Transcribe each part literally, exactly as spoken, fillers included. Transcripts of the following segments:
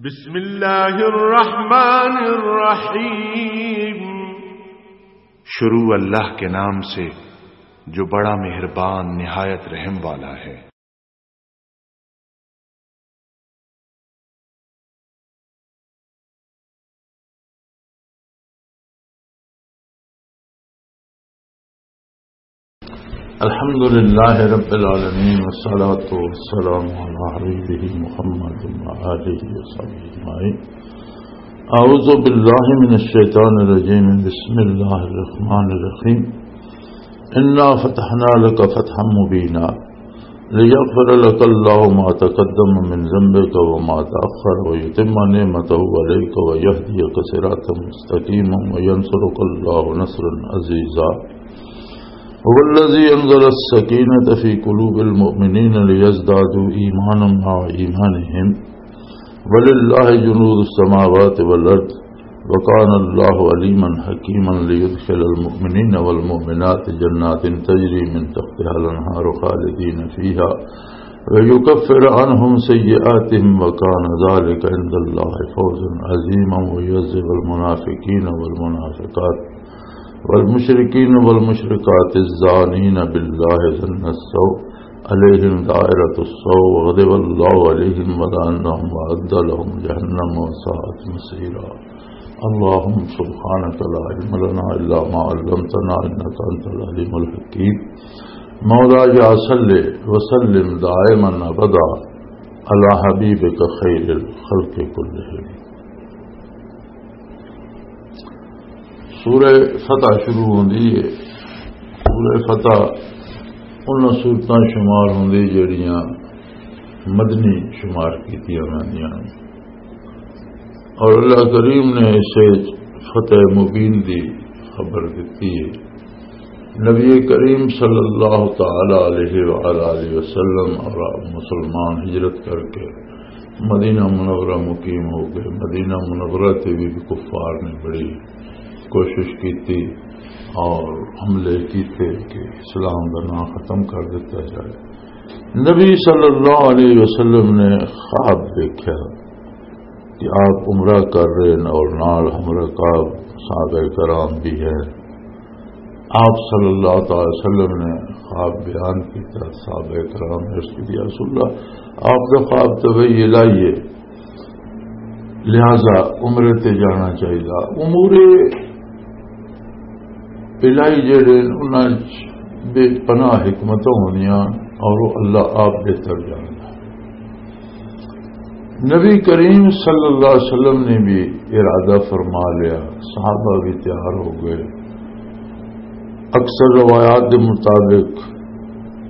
بسم اللہ الرحمن الرحیم۔ شروع اللہ کے نام سے جو بڑا مہربان نہایت رحم والا ہے۔ الحمد لله رب العالمين، والصلاة والسلام على حبيبه محمد وآله وصحبه أجمعين. أعوذ بالله من الشيطان الرجيم. بسم الله الرحمن الرحيم. إنا فتحنا لك فتحا مبينا ليغفر لك الله ما تقدم من ذنبك وما تأخر ويتم نعمته عليك ويهديك صراطا مستقيما وينصرك الله نصرا عزيزا. هو الذي أنزل السكينة في قلوب المؤمنين ليزدادوا إيمانا مع إيمانهم ولله جنود السماوات والأرض وكان الله عليما حكيما ليدخل المؤمنين والمؤمنات جنات تجري من تحتها الأنهار خالدين فيها ويكفر عنهم سيئاتهم وكان ذلك عند الله فوزا عظيما ويعذب المنافقين والمنافقات والمشركين والمشركات الظانين بالله ظن السوء عليهم دائرة السوء وغضب الله عليهم ولعنهم وأعد لهم جهنم وساءت مصيرا. اللهم سبحانك لا علم لنا إلا ما علمتنا إنك أنت العليم الحكيم. مولاي صل وسلم دائما أبدا على حبيبك خير الخلق كلهم. سورہ فتح شروع ہوندی ہے۔ سورہ فتح انہاں سورتاں شمار ہوندی جڑیاں مدنی شمار کیتیاں ویندیاں ہن۔ اور اللہ کریم نے اسے فتح مبین دی خبر دتی ہے۔ نبی کریم صلی اللہ تعالی علیہ وآلہ وسلم اور مسلمان ہجرت کر کے مدینہ منورہ مقیم ہو گئے۔ مدینہ منورہ تے بھی کفار نے بڑی کوشش کی تھی اور حملے کیتے کہ اسلام کا نام ختم کر دیتا جائے۔ نبی صلی اللہ علیہ وسلم نے خواب دیکھا کہ آپ عمرہ کر رہے ہیں اور نال ہمراہ کعب صحابہ کرام بھی ہے۔ آپ صلی اللہ تعالی وسلم نے خواب بیان کیتا، صحابہ کرام نے عرض کی، "یا رسول اللہ، آپ دا خواب تو وہی الہی ہے، لہذا عمرے تے جانا چاہیے۔" امور الہی جڑے انہاں وچ بے پناہ حکمتاں ہوندیاں اور وہ اللہ آپ بہتر جاندا۔ نبی کریم صلی اللہ علیہ وسلم نے بھی ارادہ فرما لیا، صحابہ بھی تیار ہو گئے۔ اکثر روایات کے مطابق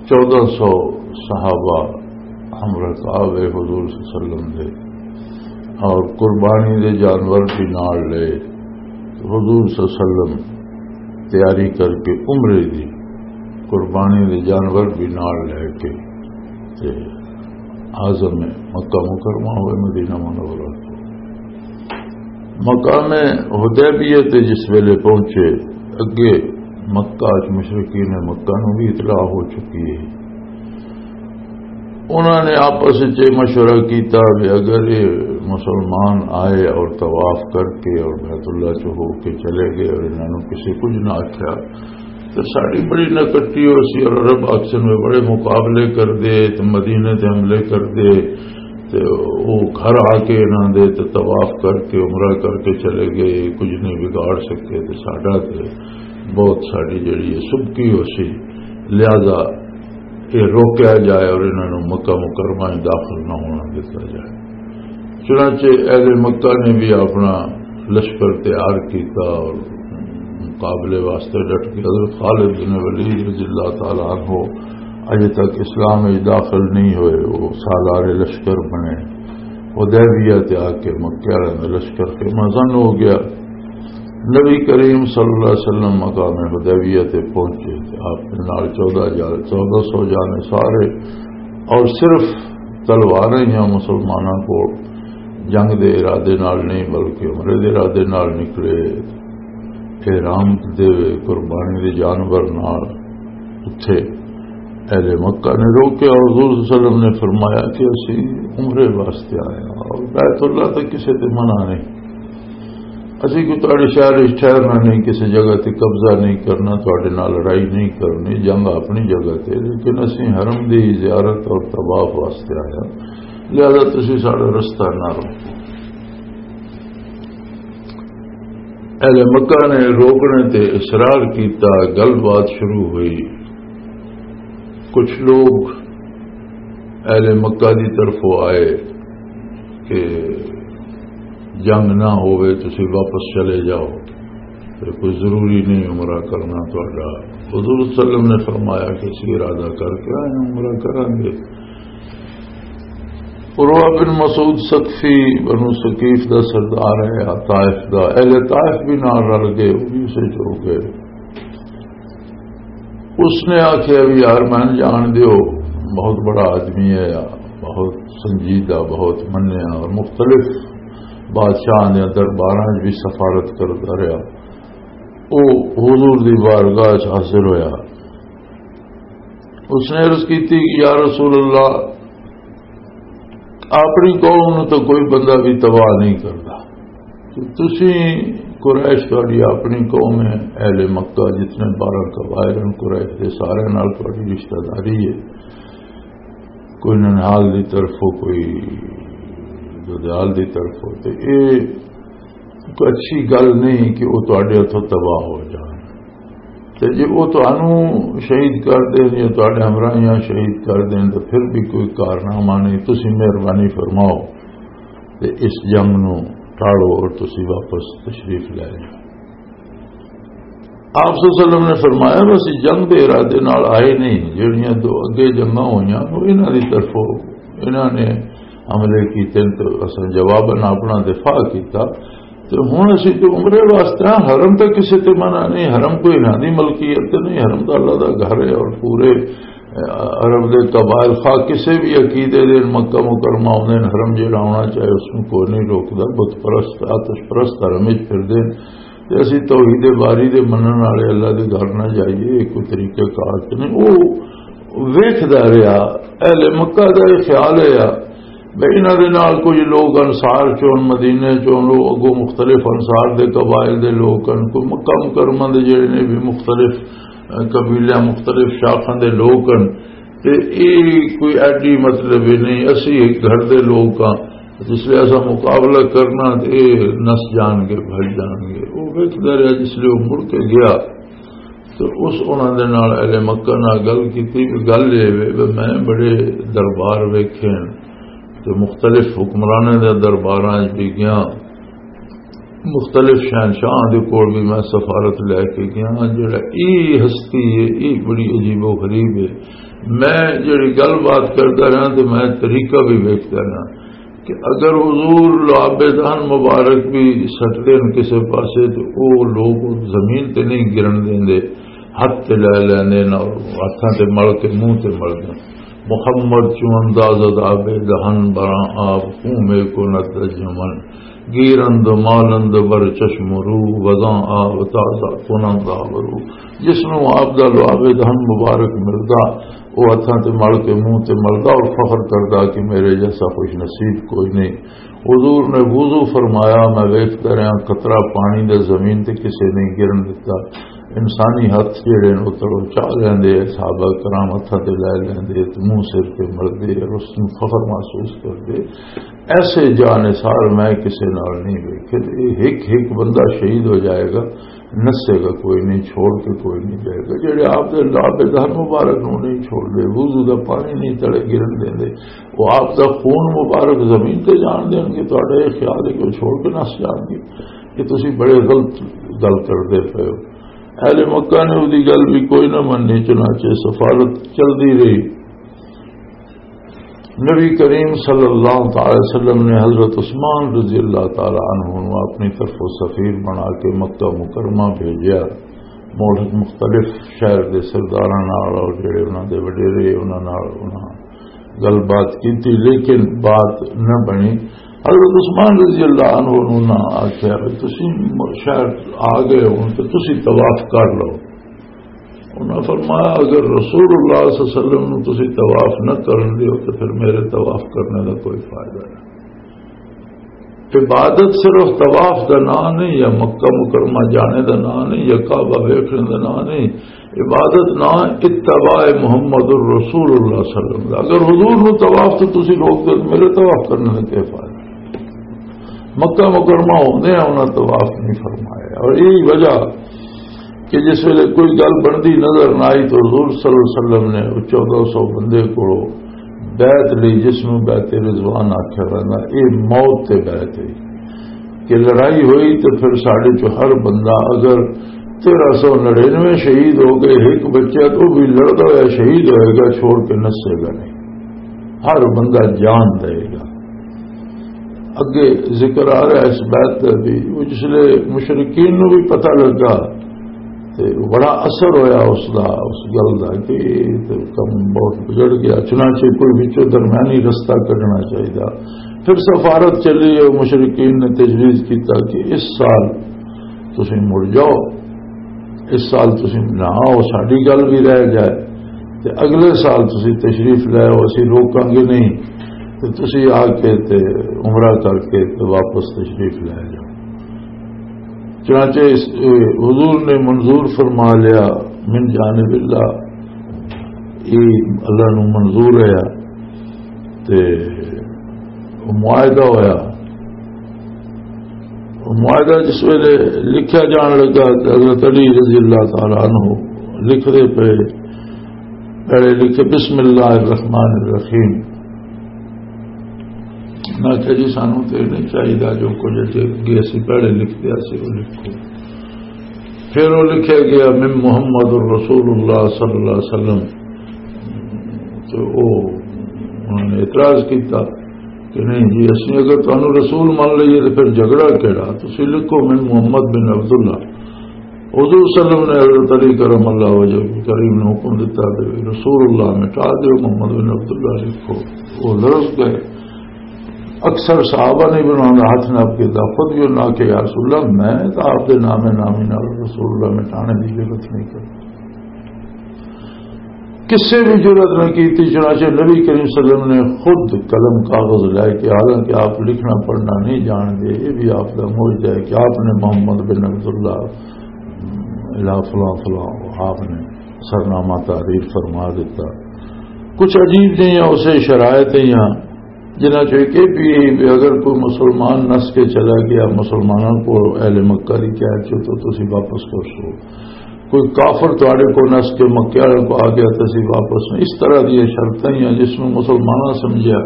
چودہ سو صحابہ ہم رکاب حضور صلی اللہ علیہ وسلم دے اور قربانی دے جانور بھی نال لے۔ حضور صلی اللہ علیہ وسلم تیاری کر کے عمرے دی قربانی دے جانور بھی نال لے کے تے عازم مکہ مکرمہ ہوئے مدینہ منورہ۔ مقام حدیبیہ تے جس ویلے پہنچے، اگے مکہ چ مشرکین مکہ نوں بھی اطلاع ہو چکی ہے۔ انہاں نے آپس وچ یہ مشورہ کیتا کہ اگر یہ مسلمان آئے اور طواف کر کے اور بیت اللہ چ ہو کے چلے گئے اور انہاں نوں کسی کچھ نہ آکھیا تو ساڈی بڑی نکٹی ہو سی اور عرب آکسن میں بڑے مقابلے کر دے تو مدینے تے حملے کر دے تے او گھر آ کے انہاں دے تے طواف کر کے عمرہ کر کے چلے گئے، کچھ نہیں بگاڑ سکے تے ساڈا تے بہت ساڈی جڑی ہے سبکی ہو سی، لہذا یہ روکیا جائے اور انہاں نوں مکہ مکرمہ میں داخل نہ ہونا دتا جائے۔ چنانچہ اہل مکہ نے بھی اپنا لشکر تیار کیتا اور مقابلے واسطے ڈٹ گئے۔ حضرت خالد بن ولید رضی اللہ تعالیٰ عنہ اجے تک اسلام میں داخل نہیں ہوئے، وہ سالار لشکر بنے۔ حدیبیہ تے آ کے مکے والوں دا لشکر کے مزن ہو گیا۔ نبی کریم صلی اللہ علیہ وسلم مقام حدیبیہ تے پہنچے تے آپ دے نال چودہ ہزار، چودہ سو جانے سارے، اور صرف تلواریں یا مسلمانوں کو جنگ دے ارادے نال نہیں بلکہ عمرے دے ارادے نال نکلے۔ احرام دے قربانی دے جانور نال اتھے اہل مکہ نے روکیا۔ حضور صلی اللہ علیہ وسلم نے فرمایا کہ اسی عمرے واسطے آئے ہاں اور بیت اللہ تک کسی تے منع نہیں۔ اسی کوئی تہاڈے شہر وچ ٹھہرنا نہیں، کسی جگہ تے قبضہ نہیں کرنا، تہاڈے نال لڑائی نہیں کرنی، جنگ اپنی جگہ تے، لیکن اسی حرم دی زیارت اور طواف واسطے آئے ہاں، لہذا تسی ساڈا رستہ نہ روکو۔ اہل مکہ نے روکنے تے اصرار کیتا، گل بات شروع ہوئی۔ کچھ لوگ اہل مکہ دی طرفوں آئے کہ جنگ نہ ہوئے، تسی واپس چلے جاؤ، تے کوئی ضروری نہیں عمرہ کرنا تہاڈا۔ حضور صلی اللہ علیہ وسلم نے فرمایا کہ اسی ارادہ کر کے آئے ہیں، عمرہ کریں گے۔ عروہ بن مسعود ثقفی بنو ثقیف دا سردار ہے، طائف دا، اہل طائف بھی نال رل گئے، وہ بھی اسے چ ہو گئے۔ اس نے آخیا، "بھی یار، میں جان دیو، بہت بڑا آدمی ہے، بہت سنجیدہ، بہت منیا اور مختلف بادشاہ دے درباراں وچ بھی سفارت کردا رہیا۔" او حضور دی بارگاہ وچ حاضر ہویا۔ اس نے عرض کیتی کہ یا رسول اللہ، اپنی قوم نو تو کوئی بندہ بھی تباہ نہیں کرتا، تو تسی قریش، تہاڈی اپنی قوم ہے، اہل مکہ جتنے بارہ قبائل ہیں قریش دے، سارے نال تہاڈی رشتہ داری ہے، کوئی ننہال دی طرفوں، کوئی دودیال دی طرفوں، تے اے کوئی اچھی گل نہیں کہ وہ تہاڈے ہتھوں تباہ ہو جان۔ تے جے وہ تہانوں شہید کر دین یا تہاڈے ہمراہیاں شہید کر دین، تو پھر بھی کوئی کارنامہ نہیں۔ تسی مہربانی فرماؤ تے اس جنگ نو ٹالو اور تسی واپس تشریف لے جاؤ۔ آپ صلی اللہ علیہ وسلم نے فرمایا، "بس جنگ دے ارادے نال آئے نہیں، جڑیاں دو اگے جنگاں ہوئیاں، وہ انہاں دی طرفوں، انہاں نے حملے کیتے تے اساں جواباً اپنا دفاع کیتا۔ تے ہن اسی تے عمرے واسطے ہاں، حرم تے کسے تے منع نہیں، حرم کوئی انہاں دی ملکیت تے نہیں، حرم تے اللہ دا گھر ہے اور پورے عرب دے قبائل خواہ کسے بھی عقیدے دے مکہ مکرمہ آوندے نے، حرم جیڑا آونا چاہے اس نوں کوئی نہیں روکدا، بت پرست، آتش پرست حرم وچ پھردے نے۔ تے اسی توحید باری دے منن والے اللہ دے گھر نہ جائیے، یہ کوئی طریقہ کار تے نہیں۔ وہ ویکھدا رہیا، اہل مکہ دا یہ خیال ہے بھئی انہاں دے نال کچھ لوگ انصار چون، مدینے چون، لوگ اگوں مختلف انصار دے قبائل دے لوگ ہن، کوئی مکہ مکرمہ دے جڑے نے بھی مختلف، اہ، قبیلیاں، مختلف شاخاں دے لوگ ہن۔ تے اے کوئی ایڈی مطلب ہی نہیں، اسی ایک گھر دے لوگ ہاں، جس لئے اسا مقابلہ کرنا تے اے نس جان گے، بھج جان گے۔ وہ ویکھدا رہیا، جس لئے وہ مڑ کے گیا تو اس انہاں دے نال اہل مکہ نال گل کیتی کہ گل اے وے کہ میں بڑے دربار ویکھے ہن تے مختلف حکمراناں دے درباراں وچ بھی گیا، مختلف شہنشاہاں دے کول بھی میں سفارت لے کے گیا۔ جڑا ای ہستی ہے، ای بڑی عجیب و غریب ہے۔ میں جڑی گل بات کردا رہا تے میں طریقہ بھی ویکھدا رہا کہ اگر حضور لعاب دہن مبارک بھی سٹ دین کسے پاسے تے او لوگ زمین تے نہیں گرن دیندے، ہتھ تے لے لیندے نے اور ہتھاں تے مل کے منہ تے مل دین۔ محمد چوں انداز عذاب دہن براں آب، خون میں کو نت جمن، گیرند مالند بر چشم رو، وزاں آب تازہ کنند آب رو۔ جس نوں آپ دا لعاب دہن مبارک ملدا، او ہتھاں تے مل کے منہ تے ملدا اور فخر کردا کہ میرے جیسا خوش نصیب کوئی نہیں۔ حضور نے وضو فرمایا، میں ویکھدا رہیا، قطرہ پانی دا زمین تے کسے نہیں گرن دتا۔ انسانی ہتھ جڑے نے، او تڑو چا لیندے، صحابہ کرام ہتھاں تے لے لیندے، تے منہ سر تے ملدے اور اس نوں فخر محسوس کردے۔ ایسے جاں نثار میں کسے نال نہیں ویکھے۔ تے ایک ایک بندہ شہید ہو جائے گا، نسے گا کوئی نہیں، چھوڑ کے کوئی نہیں جائے گا۔ جڑے آپ دے لعاب دہن مبارک نوں نہیں چھوڑ دے، وضو دا پانی نہیں تڑے گرن دیندے، وہ آپ دا خون مبارک زمین تے جان دین گے، تہاڈا یہ خیال ہے کہ وہ چھوڑ کے نس جان گے؟ یہ تسی بڑے غلط گل کردے پئے ہو۔ اہل مکہ نے اودی گل بھی کوئی نہ منی، چنانچہ سفارت چلدی رہی۔ نبی کریم صلی اللہ تعالی وسلم نے حضرت عثمان رضی اللہ تعالی عنہ نوں اپنی طرفوں سفیر بنا کے مکہ مکرمہ بھیجیا۔ ملک مختلف شہر دے سرداراں نال اور جڑے انہاں دے وڈیرے، انہاں نال انہاں گل بات کیتی، لیکن بات نہ بنی۔ حضرت عثمان رضی اللہ عنہ نوں نہ آکھیا کہ تسی شہر آ گئے ہو تے تسی طواف کر لو۔ انہاں فرمایا، اگر رسول اللہ صلی اللہ علیہ وسلم نوں تسی طواف نہ کرن دیو تو پھر میرے طواف کرنے دا کوئی فائدہ نہیں۔ عبادت صرف طواف دا نام نہیں، یا مکہ مکرمہ جانے دا نام نہیں، یا کعبہ ویکھنے دا نام نہیں۔ عبادت نام اتباع محمد الرسول اللہ صلی اللہ علیہ وسلم دا۔ اگر حضور نو طواف تو تسی روک دے، میرے طواف کرنے دا کیا فائدہ؟ مکہ مکرمہ ہوندے ہیں، انہاں طواف نہیں فرمایا۔ اور یہی وجہ کہ جس ویلے کوئی گل بندی نظر نہ آئی تو حضور صلی اللہ علیہ وسلم نے وہ چودہ سو بندے کو بیعت لئی، جس نوں بیعت رضوان آکھیا ویندا، اے موت تے بیعت ہے کہ لڑائی ہوئی تے پھر ساڈے چوں ہر بندہ، اگر تیرہ سو نڑینوے شہید ہو گئے، ایک بچہ تو بھی لڑدا ہویا شہید ہوئے گا، چھوڑ کے نسے گا نہیں، ہر بندہ جان دے گا۔ اگے ذکر آ رہا ہے اس بیعت دا بھی، وہ جس لے مشرکین نوں بھی پتہ لگا تے بڑا اثر ہویا اس دا، اس گل دا کہ یہ تے کم بہت بگڑ گیا، چنانچہ کوئی وچوں درمیانی رستہ کڈنا چاہیدا۔ پھر سفارت چلی ہے، مشرکین نے تجویز کیتا کہ اس سال تسی مڑ جاؤ، اس سال تسی نہ آؤ، ساڈی گل بھی رہ جائے، تے اگلے سال تسی تشریف لے آؤ، اسی روکاں گے نہیں، تے تسی آ کے تے عمرہ کر کے تے واپس تشریف لے جاؤ۔ چنانچہ اس، اے، حضور نے منظور فرما لیا من جانب اللہ، یہ اللہ نو منظور ہے۔ تے معاہدہ ہویا۔ معاہدہ جس ویلے لکھیا جان لگا تے حضرت علی رضی اللہ تعالیٰ عنہ لکھ دے پے، پہلے لکھے، بسم اللہ الرحمن الرحیم۔ میں آخیا، جی، سانو تے نہیں چاہیے جو کچھ اگے اسی پہلے لکھ دیا سی، وہ لکھو۔ پھر وہ لکھیا گیا، من محمد الرسول اللہ صلی اللہ علیہ وسلم۔ تو وہ، انہوں نے اعتراض کیتا کہ نہیں جی، اسی اگر تانوں رسول مان لئیے تو پھر جھگڑا کیڑا؟ تسی لکھو، من محمد بن عبداللہ۔ حضور صلی اللہ علیہ وسلم نے حضرت علی کرم اللہ وجہ کریم نے حکم دیتا کہ رسول اللہ مٹا دیو، محمد بن عبداللہ لکھو۔ وہ لرز گئے۔ اکثر صحابہ نے بھی انہوں نے ہاتھ نہ آپ کے دفعت بھی انہوں نے کہ یا رسول اللہ، میں تو آپ کے نام نامی نال رسول اللہ مٹانے کی ضرورت نہیں کرتا۔ کسے بھی جرات نہ کی تھی، چنانچہ نبی کریم صلی اللہ علیہ وسلم نے خود قلم کاغذ لے کے، حالانکہ آپ لکھنا پڑھنا نہیں جان دے، یہ بھی آپ کا معجزہ ہے کہ آپ نے محمد بن عبداللہ الا فلاں فلاں، آپ نے سرنامہ تحریر فرما دیتا۔ کچھ عجیب جہیاں اسے شرائط ہیں، جنہاں چوں ایک یہ بھی ہے کہ اگر کوئی مسلمان نس کے چلا گیا، مسلمانوں کو اہل مکہ دی قید چوں، تو تسی واپس کر سو۔ کوئی کافر تواڈے کو نس کے مکے والے کو آ گیا، تسی واپس نہیں۔ اس طرح دی یہ شرطیں ہیں جس میں مسلمانوں سمجھیا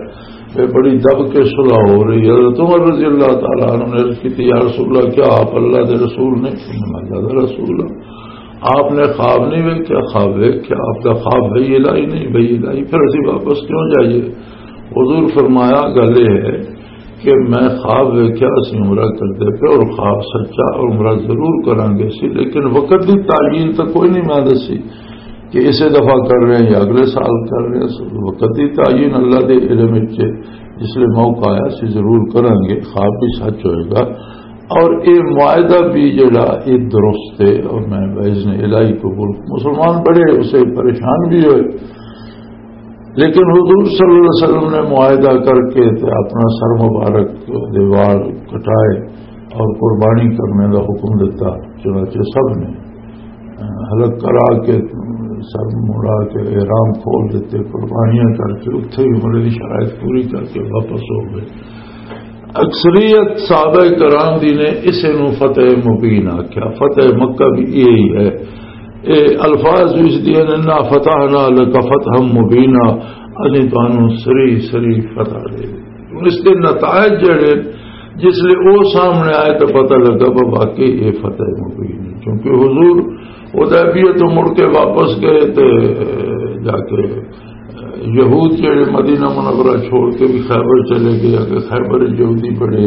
کہ بڑی دب کے صلح ہو رہی ہے۔ حضرت عمر رضی اللہ تعالیٰ عنہ نے عرض کی تھی، یا رسول اللہ، کیا آپ اللہ دے رسول نہیں؟ فرمایا، اللہ دا رسول ہاں۔ آپ نے خواب نہیں ویکھیا؟ خواب ویکھیا۔ آپ دا خواب وہی الہی نہیں؟ وہی الہی۔ پھر اسی واپس کیوں جائیے؟ حضور فرمایا، گل یہ ہے کہ میں خواب ویکھیا، اسی عمرہ کردے پے اور خواب سچا اور عمرہ ضرور کرانگے سی، لیکن وقت دی تعین تو کوئی نہیں میں دسی کہ اسے دفعہ کر رہے ہیں یا اگلے سال کر رہے ہیں۔ وقت دی تعین اللہ دے علم وچ ہے، جس لئے موقع آیا سی ضرور کرانگے، خواب بھی سچ ہوئے گا۔ اور اے معاہدہ بھی جڑا اے درست ہے، اور میں باذن الہی قبول۔ مسلمان بڑے اسے پریشان بھی ہوئے، لیکن حضور صلی اللہ علیہ وسلم نے معاہدہ کر کے تے اپنا سر مبارک دے وال کٹائے اور قربانی کرنے دا حکم دیتا۔ چنانچہ سب نے حلق کرا کے، سر مڑا کے، احرام کھول دیتے، قربانیاں کر کے، اتھے ہی عمرے دی شرائط پوری کر کے واپس ہو گئے۔ اکثریت صحابہ کرام دی نے اسے نو فتح مبین آکھیا۔ فتح مکہ بھی یہی ہے۔ اے الفاظ بھی اس دی نے، "انا فتحنا لک فتحا مبینا"، اسیں تانوں سری سری فتح دے دتی۔ ہن اس دے نتائج جڑے، جس لئے او سامنے آئے تو پتہ لگا، وہ واقعی یہ فتح مبین ہے، کیونکہ حضور حدیبیہ تو مڑ کے واپس گئے تے جا کے یہود جڑے مدینہ منورہ چھوڑ کے بھی خیبر چلے گئے، اگر خیبر یہودی بڑے،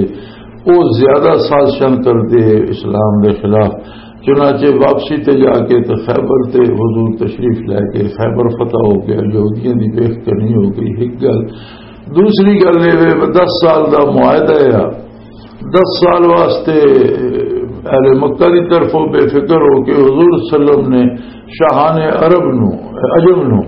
وہ زیادہ سازشاں کردے اسلام دے خلاف۔ چنانچہ واپسی تے جا کے تے خیبر تے حضور تشریف لے کے خیبر فتح ہو گیا، یہودیاں دی ویخ کرنی ہو گئی، ایک گل۔ دوسری گل یہ وے، دس سال دا معاہدہ ہے، دس سال واسطے اہل مکہ دی طرفوں بے فکر ہو کے حضور صلی اللہ علیہ وسلم نے شاہان عرب نو، عجم نو،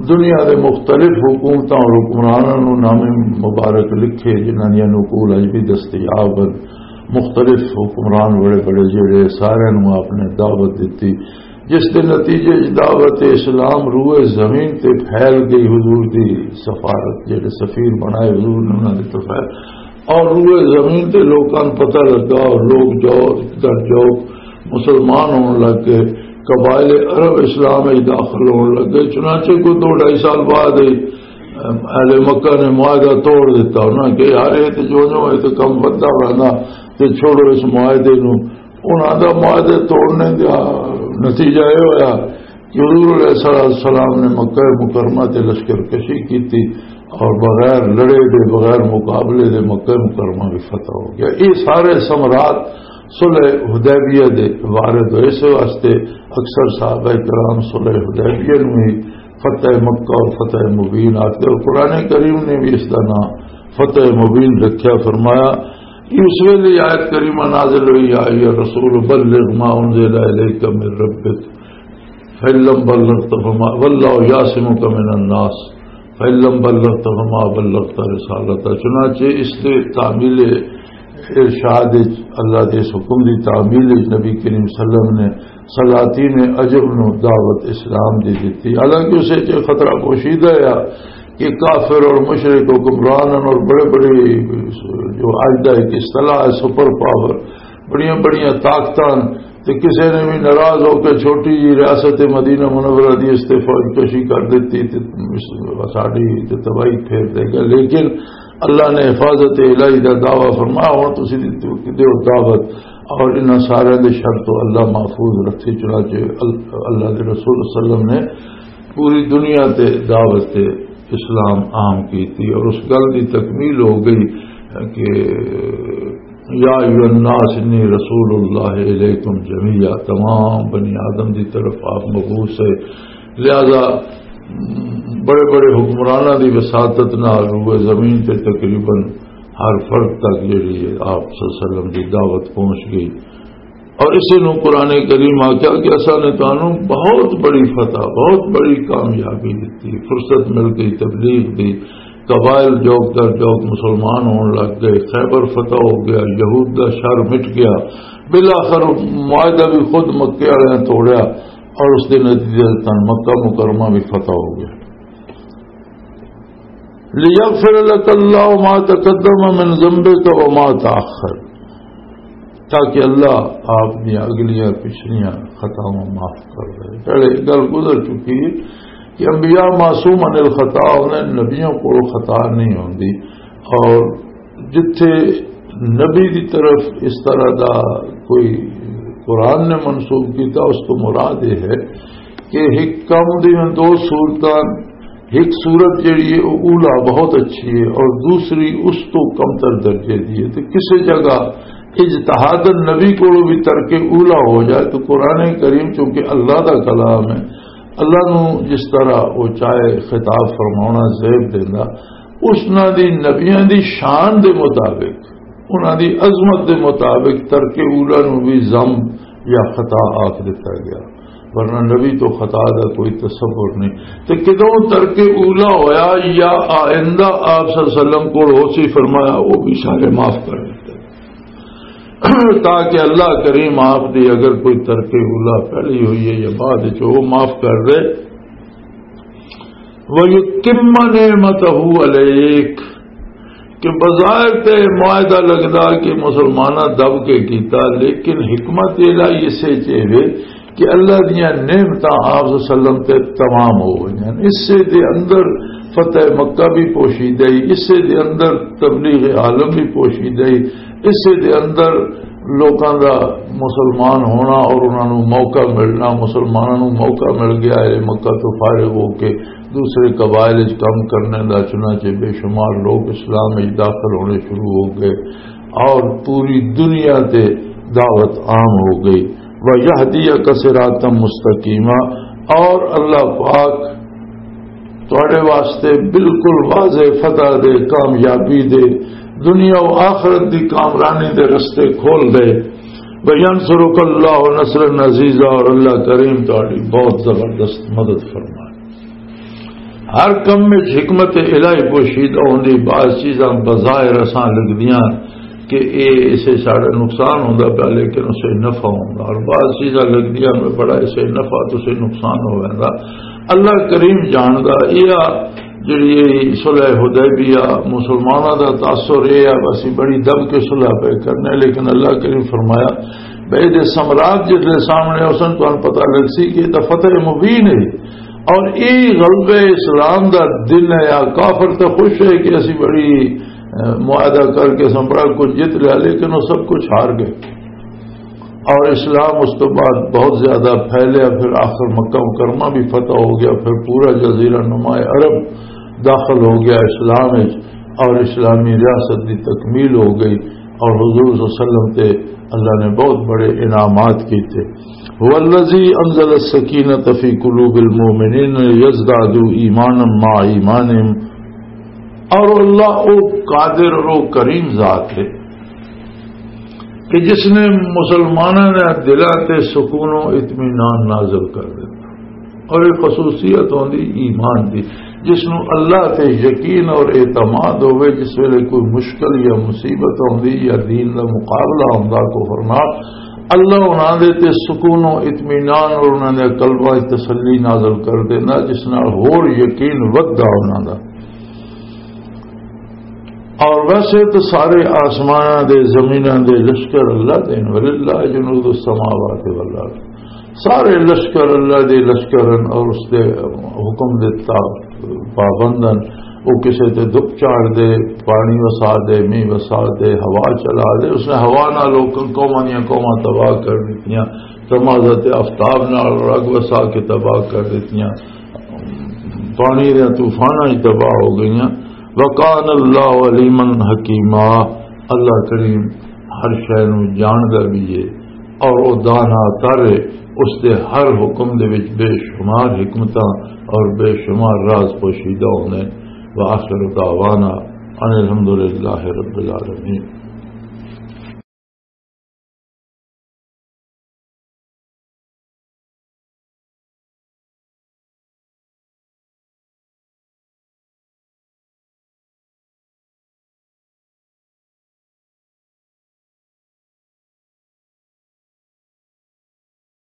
دنیا دے مختلف حکومتاں اور حکمراناں نو نام مبارک لکھے، جنہاں دیاں نقول اج بھی دستیاب ہن۔ مختلف حکمران بڑے بڑے جڑے، سارے نو آپ نے دعوت دتی، جس دے نتیجے وچ دعوت اسلام روئے زمین تے پھیل گئی۔ حضور دی سفارت، جڑے سفیر بنائے حضور نے، انہاں دی تو پھیل، اور روئے زمین تے لوکاں نوں پتہ لگا، اور لوگ جو در جو مسلمان ہون لگ گئے، قبائل عرب اسلام وچ داخل ہون لگ گئے۔ چنانچہ کوئی دو ڈھائی سال بعد ہی اہل مکہ نے معاہدہ توڑ دیتا۔ انہاں کہ، "یار، یہ تے جو جو، یہ تے کم بدلا رہنا، تے چھوڑو اس معاہدے نوں۔" انہاں دا معاہدے توڑنے دا نتیجہ یہ ہویا کہ حضور علیہ الصلوۃ والسلام نے مکہ مکرمہ تے لشکر کشی کیتی اور بغیر لڑے دے، بغیر مقابلے دے مکہ مکرمہ بھی فتح ہو گیا۔ یہ سارے ثمرات صلح حدیبیہ دے وارد ہوئے۔ اس واسطے اکثر صحابہ کرام صلح حدیبیہ نوں ہی فتح مکہ اور فتح مبین آتے، اور قرآن کریم نے بھی اس دا نام فتح مبین رکھیا۔ فرمایا، اس ویلے آیت کریمہ نازل ہوئی، "یا ایھا الرسول بلغ ما انزل الیک من ربک، فإن لم بلغت فما، واللہ یعصمک من الناس، فإن لم بلغت فما بلغت رسالتہ۔" چنانچہ اس دے تعمیل ارشاد وچ، اللہ دے اس حکم دی تعمیل وچ نبی کریم صلی اللہ علیہ وسلم نے سلاطین عجم نو دعوت اسلام دی دتی۔ حالانکہ اسے چ خطرہ پوشیدہ ہے کہ کافر اور مشرک حکمران اور بڑے بڑے، جو آج دا ایک اصطلاح ہے، سپر پاور، بڑیاں بڑیاں طاقتاں، تے کسے نے بھی ناراض ہو کے چھوٹی جی ریاست مدینہ منورہ دی اس تے فوج کشی کر دیتی تے ساڈی تے تباہی پھیر دے گا۔ لیکن اللہ نے حفاظت الہی دا دعویٰ فرمایا، "ہن تسی دی دیو دعوت اور انہاں سارے دے شر تو اللہ محفوظ رکھے۔" چنانچہ ال-، اللہ دے رسول صلی اللہ علیہ وسلم نے پوری دنیا تے دعوت اسلام عام کیتی اور اس گل دی تکمیل ہو گئی کہ یا ایھا الناس انی رسول اللہ الیکم جمیعا، تمام بنی آدم دی طرف آپ مبعوث ہے۔ لہذا بڑے بڑے حکمراناں دی وساطت نال روئے زمین تے تقریباً ہر فرد تک جڑی ہے آپ صلی اللہ علیہ وسلم دی دعوت پہنچ گئی۔ اور اسی نوں قرآن کریم آکھیا کہ اساں نے تانوں بہت بڑی فتح، بہت بڑی کامیابی دتی، فرصت مل گئی تبلیغ دی، قبائل جوک در جوک مسلمان ہون لگ گئے، خیبر فتح ہو گیا، یہود دا شر مٹ گیا، بالآخر معاہدہ بھی خود مکے والے نے توڑیا اور اس دے نتیجے تن مکہ مکرمہ بھی فتح ہو گیا۔ لِيَغْفِرَ لَكَ اللَّهُ مَا تَقَدَّمَ مِنْ ذَنْبِكَ وَمَا تَأَخَّرَ، تاکہ اللہ آپ دی اگلیاں پچھلیاں خطاواں معاف کر دے۔ پہلے ایک گل گزر چکی ہے کہ انبیاء معصوم عن الخطا ہوندے، نبیوں کو خطا نہیں ہوندی۔ اور جتھے نبی دی طرف اس طرح دا کوئی قرآن نے منسوب کیتا، اس کو مراد یہ ہے کہ ایک کم دیاں دو صورتاں، ایک صورت جڑی ہے، وہ اولا بہت اچھی ہے اور دوسری اس تو کمتر درجے دی ہے۔ تو کسی جگہ اجتہاد نبی کو بھی ترک اولا ہو جائے، تو قرآن کریم چونکہ اللہ دا کلام ہے، اللہ نو جس طرح وہ چاہے خطاب فرماونا زیب دیندا، اس نہ دی نبیاں دی شان دے مطابق، انہاں دی عظمت دے مطابق ترک اولا نو بھی ذم یا خطا آکھ دتا گیا، ورنہ نبی تو خطا دا کوئی تصور نہیں۔ تے کدوں ترک اولا ہویا یا آئندہ آپ صلی اللہ علیہ وسلم کول ہو سی فرمایا، وہ بھی سارے معاف کر دتے۔ تاکہ اللہ کریم آپ دی اگر کوئی ترک اولا پہلی ہوئی ہے یا بعد وچ، وہ معاف کر دے۔ وَيُتِمَّ نِعْمَتَهُ عَلَيْكَ، کہ بظاہر تے معاہدہ لگدا کہ مسلماناں دب کے کیتا، لیکن حکمت الہی اسے چ ہے کہ اللہ دیاں نعمتاں آپ صلی اللہ علیہ وسلم تے تمام ہو گئیاں۔ اسے دے اندر فتح مکہ بھی پوشیدہ ہی، اسے دے اندر تبلیغ عالم بھی پوشیدہ ہی، اسے دے اندر لوکاں دا مسلمان ہونا اور انہاں نوں موقع ملنا، مسلماناں نوں موقع مل گیا ہے مکہ تو فارغ ہو کے دوسرے قبائل وچ کم کرنے دا، چنانچہ بے شمار لوگ اسلام وچ داخل ہونے شروع ہو گئے اور پوری دنیا تے دعوت عام ہو گئی۔ وَيَهْدِيَكَ صِرَاطًا مُسْتَقِيمًا، اور اللہ پاک تواڈے واسطے بالکل واضح فتح دے، کامیابی دے، دنیا و آخرت دی کامرانی دے رستے کھول دے۔ وَيَنْصُرَكَ اللَّهُ نَصْرًا عَزِيزًا، اور اللہ کریم تہاڈی بہت زبردست مدد فرمائے۔ ہر کم وچ حکمت الہی پوشیدہ ہوندی۔ بعض چیزاں بظاہر اساں لگدیاں کہ اے اسے ساڈا نقصان ہوندا پیا، لیکن اسے نفع ہوندا، اور بعض چیزاں لگدیاں میں بڑا اسے نفع تو اسے نقصان ہو ویندا۔ اللہ کریم جاندا۔ یہ جڑی یہ صلح حدیبیہ، مسلماناں دا تاثر یہ ہے، اسی بڑی دب کے صلح پہ کرنے، لیکن اللہ کریم فرمایا، بھئی دے ثمرات جس دے سامنے اس نے تمہیں پتہ لگ سی کہ یہ تو فتح مبین ہے۔ اور یہ غلبہ اسلام دا دن ہے، یا کافر تو خوش ہے کہ اسی بڑی، اہ، معاہدہ کر کے سن بڑا کچھ جیت لیا، لیکن وہ سب کچھ ہار گئے۔ اور اسلام اس تو بعد بہت زیادہ پھیلیا، پھر آخر مکہ مکرمہ بھی فتح ہو گیا، پھر پورا جزیرہ نما عرب داخل ہو گیا اسلام وچ، اور اسلامی ریاست دی تکمیل ہو گئی، اور حضور صلی اللہ علیہ وسلم تے اللہ نے بہت بڑے انعامات کیتے۔ هو الذي انزل السكينة في قلوب المؤمنين ليزدادوا ایمانا مع ایمانهم۔ اور اللہ وہ قادر اور وہ کریم ذات ہے کہ جس نے مسلمانوں نے دلاں تے سکون و اطمینان نازل کر دیتا۔ اور ایک خصوصیت ہوندی ایمان دی، جس نو اللہ تے یقین اور اعتماد ہوئے، جس ویلے کوئی مشکل یا مصیبت ہوندی یا دین دا مقابلہ ہوندا کفر نال، اللہ انہاں دے تے سکون و اطمینان اور انہاں دے قلباں وچ تسلی نازل کر دینا، جس نال ہور یقین ودھدا انہاں دا۔ اور ویسے تو سارے آسماناں دے، زمیناں دے لشکر اللہ دے، وللہ جنود السماوات والارض۔ سارے لشکر اللہ دے لشکر ہن اور اس دے حکم دے تا-، پابند ہن۔ وہ کسے تے دکھ چاڑ دے، پانی وسا دے، مینہ وسا دے، ہوا چلا دے۔ اس نے ہوا نال لوکاں، قوماں دیاں قوماں تباہ کر دتیاں۔ تمازہ تے آفتاب نال رگ وسا کے تباہ کر دتیاں۔ پانی دے طوفاناں ہی تباہ ہو گئیاں۔ وکان اللہ علیما حکیما، اللہ کریم ہر شے نو جاندا بھی ہے اور او دانا تر ہے۔ اس دے ہر حکم دے وچ بے شمار حکمتاں اور بے شمار راز پوشیدہ ہوندے۔ وآخر دعوانا ان الحمدللہ رب العالمین۔